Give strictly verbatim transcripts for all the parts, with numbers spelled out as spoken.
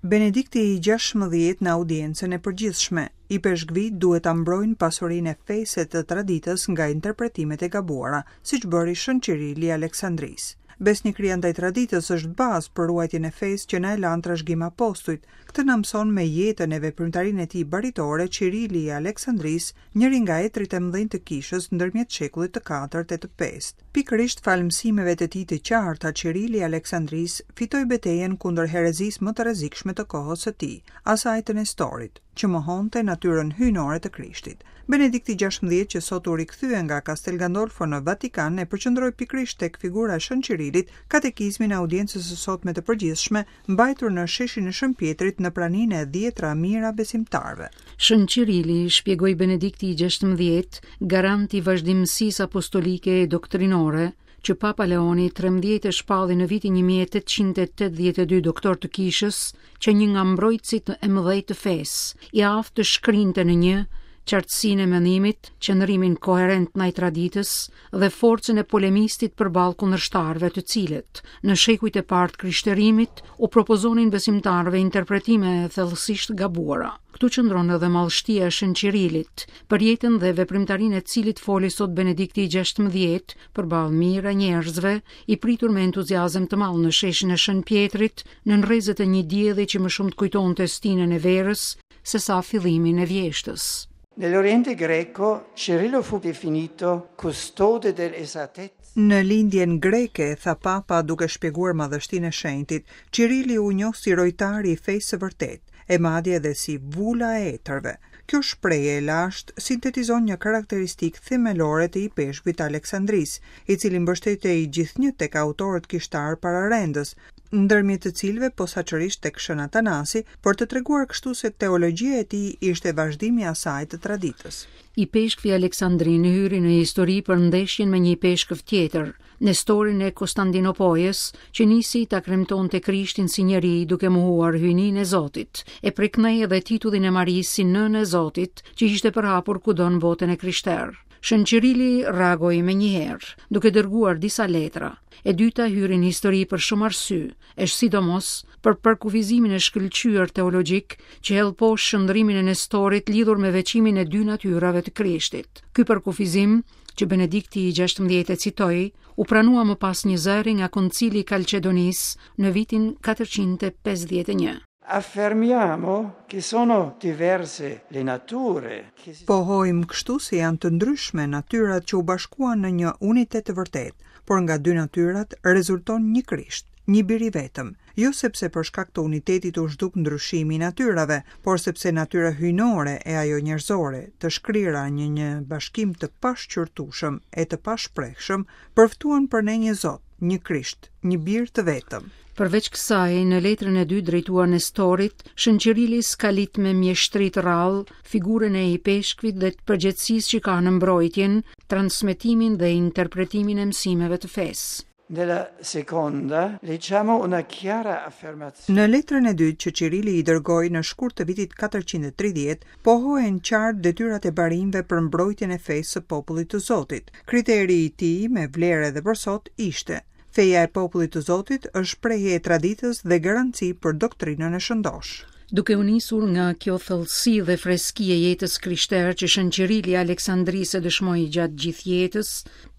Benedikti i gjashtëmbëdhjetë në audiencën e përgjithshme, ipeshkvijtë duhet ta mbrojnë pasurinë e fesë e të traditës nga interpretimet e gabuara, siç bëri Shën Qirili i Aleksandrisë. Besnikëria ndaj traditës është bazë për ruajtjen e fesë që na e lanë trashëgim apostujt. Këtë na mëson me jetën e veprimtarinë e tij baritore Qirili i Aleksandrisë, njëri nga etrit e mëdhenj të kishës ndërmjet shekullit të katërt e të pestë. Pikërisht falë mësimeve të tij të qarta, Qirili i Aleksandrisë fitoi betejën kundër herezisë më të rrezikshme të kohës së tij, asaj të Nestorit, që mohonte natyrën hyjnore të Krishtit. Benedikti gjashtëmbëdhjetë, që sot u rikthye nga Castel Gandolfo në Vatikan, e përqendroi pikërisht tek figura e Shën Qirilit katekizmin e audiencës së sotme të përgjithshme, mbajtur në sheshin e Shën Pietrit në praninë e dhjetra mijëra besimtarëve. Shën Qirili, shpjegoi Benedikti i gjashtëmbëdhjetë, garant i vazhdimësisë apostolike e doktrinore, që Papa Leoni trembëdhjetë e shpalli në vitin një mijë e tetëqind e tetëdhjetë e dy doktor të kishës, që një nga mbrojtësit e mëdhenj të fesë, i aftë të shkrinte në një qartësinë e mendimit, qëndrimin koherent ndaj traditës dhe forcën e polemistit përballë kundërshtarëve të cilët, në shekujt e parë të krishterimit, u propozonin besimtarëve interpretime thellësisht gabuara. Këtu qëndron edhe madhështia e Shën Qirilit, për jetën dhe veprimtarinë e cilit foli sot Benedikti i gjashtëmbëdhjetë përballë mijëra njerëzve, i pritur me entuziazëm të madh në sheshin e Shën Pietrit, nën rrezet e një dielli që më shumë të kujtonte stinën e verës se sa fillimin e vjeshtës. Nell'Oriente greco Cirillo fu definito custode dell'esattezza. Në lindjen greke, tha Papa duke shpjeguar madhështinë e shenjtit, Qirili u njoh si rojtari i fesë së vërtetë, e madje edhe si vula e etërve. Kjo shprehje e lashtë sintetizon një karakteristikë themelore të ipeshkvit të Aleksandrisë, i cili mbështetej gjithnjë tek autorët kishtar pararendës, ndërmjet të cilëve posaçërisht tek Shën Atanasi, për të treguar kështu se teologjia e tij ishte vazhdimi i asaj të traditës. Ipeshkvi Aleksandrin hyri në histori për ndeshjen me një ipeshkv tjetër, Nestorin e Konstantinopojës, që nisi ta kremtonte Krishtin si njeri duke mohuar hyjninë e Zotit, e preknej edhe titullin e Marisë si nënë e Zotit, që ishte përhapur kudo në botën e krishterë. Shën Qirili reagoi menjëherë, duke dërguar disa letra. E dyta hyri në histori për shumë arsye, e sidomos për përkufizimin e shkëlqyer teologjik që hedh poshtë shndrimin e Nestorit lidhur me veçimin e dy natyrave të Krishtit. Ky përkufizim, që Benedikti i gjashtëmbëdhjetë e citoi, u pranua më pas një zëri nga Koncili i Kalcedonisë në vitin katërqind e pesëdhjetë e një. Affermiamo che sono diverse le nature che si Pohojmë kështu se janë të ndryshme natyrat që u bashkuan në një unitet të vërtetë, por nga dy natyrat rezulton një Krisht, një bir i vetëm, jo sepse për shkak të unitetit u zhduk ndryshimi i natyrave, por sepse natyra hyjnore e ajo njerëzore, të shkrira në një bashkim të pashqyrtueshëm e të pashprehshëm, përftuan për ne një Zot, një Krisht, një bir të vetëm. Përveç kësaj, në letrën e dytë drejtuar Nestorit, Shën Qirili skalit me mjeshtri të rrallë figurën e ipeshkvit dhe të përgjegjësisë që ka në mbrojtjen, transmetimin dhe interpretimin e mësimeve të fesë. Nella seconda leggiamo una chiara affermazione. Në letrën e dytë që Qirili i dërgoi në shkurt të vitit katërqind e tridhjetë, pohohen qartë detyrat e barinjve për mbrojtjen e fesë së popullit të Zotit. Kriteri i tij me vlerë edhe për sot ishte: feja e popullit të Zotit është shprehje e traditës dhe garanci për doktrinën e shëndoshë. Duke u nisur nga kjo thellësi dhe freski e jetës krishterë që Shën Qirili i Aleksandrisë e dëshmoi gjatë gjithë jetës,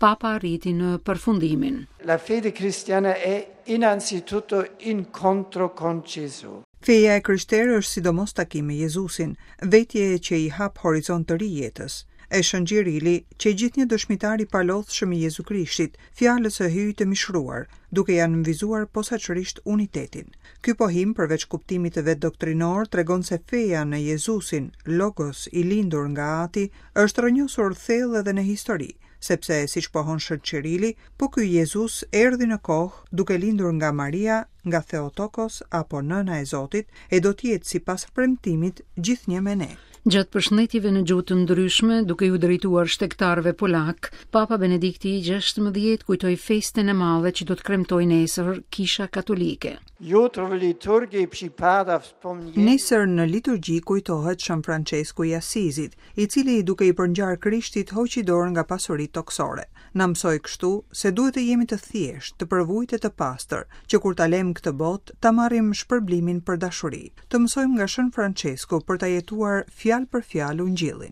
Papa arriti në përfundimin. La fede cristiana è innanzitutto incontro con Gesù. Feja e krishterë është sidomos takim me Jezusin, vetje që i hap horizont të ri jetës. E Shën Qirili, që gjithnjë dëshmitar i palodhshëm i Jezu Krishtit, fjalës së hyjit të mishruar, duke ja nënvizuar posaçërisht unitetin. Ky pohim, përveç kuptimit të vet doktrinor, tregon se feja në Jezusin, Logos i lindur nga Ati, është rrënjosur thellë edhe në histori, sepse, siç pohon Shën Qirili, po ky Jezus erdhi në kohë duke lindur nga Maria, nga Theotokos apo nëna e Zotit, e do të jetë sipas premtimit gjithnjë me ne. Gjatë përshëndetjeve në gjuhë të ndryshme, duke ju drejtuar shtegtarëve polak, Papa Benedikti i gjashtëmbëdhjetë kujtoi festën e madhe që do të kremtojë nesër Kisha Katolike. Jutro w liturgii przypada wspomnienie Nesër në liturgji kujtohet Shën Francesku i Asizit, i cili duke i përngjarë Krishtit hoqi dorë nga pasuritë tokësore. Na mësoi kështu se duhet të jemi të thjeshtë, të përvujtë e të pastër, që kur ta lëmë këtë botë, ta marrim shpërblimin për dashuri. Të mësojmë nga Shën Francesku për ta jetuar fjalë për fjalë Ungjillin.